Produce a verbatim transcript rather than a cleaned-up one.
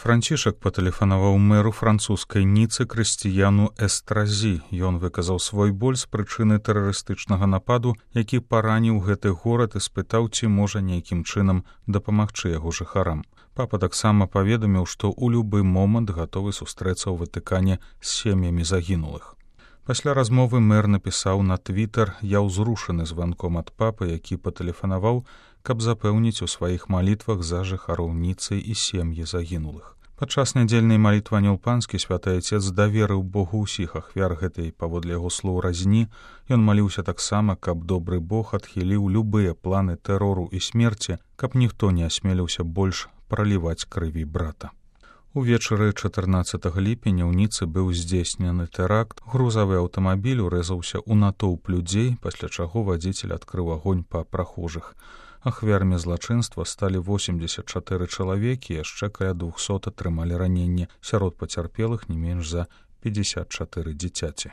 Францішак патэлефанаваў мэру французскай Ніцы Крысціяну Эстразі. Ён выказаў свой боль з прычыны тэрарыстычнага нападу, які параніў гэты горад, і спытаў, ці можа нейкім чынам дапамагчы яго жыхарам. Папа таксама паведаміў, што ў любы момант гатовы сустрэцца ў Ватыкане з сем'ямі загінулых. Пасля размовы мэр напісаў на твітер: «Я ўзрушаны званком ад папы, які патэлефанаваў, каб запэўніць у сваіх малітвах за жыхароў Ніцы і сем'і загінулых». Падчас нядзельнай малітвы Анёл Панскі святы Айцец даверыў Богу ўсіх ахвяр гэтай, паводле яго слоў, разні. Ён маліўся таксама, каб добры Бог адхіліў любыя планы тэрору і смерці, каб ніхто не асмеліўся больш праліваць крыві брата. Увечары чатырнаццатага ліпеня ў Ніцы быў здзейснены тэракт. Грузавы аўтамабіль урэзаўся ў натоўп людзей, пасля чаго вадзіцель адкрыў агонь па прахожых. Ахвярамі злачынства сталі восемьдесят чатыры чалавекі, яшчэ каля двухсот атрымалі раненні. Сярод пацярпелых не менш за пятьдесят чатыры дзіцяці.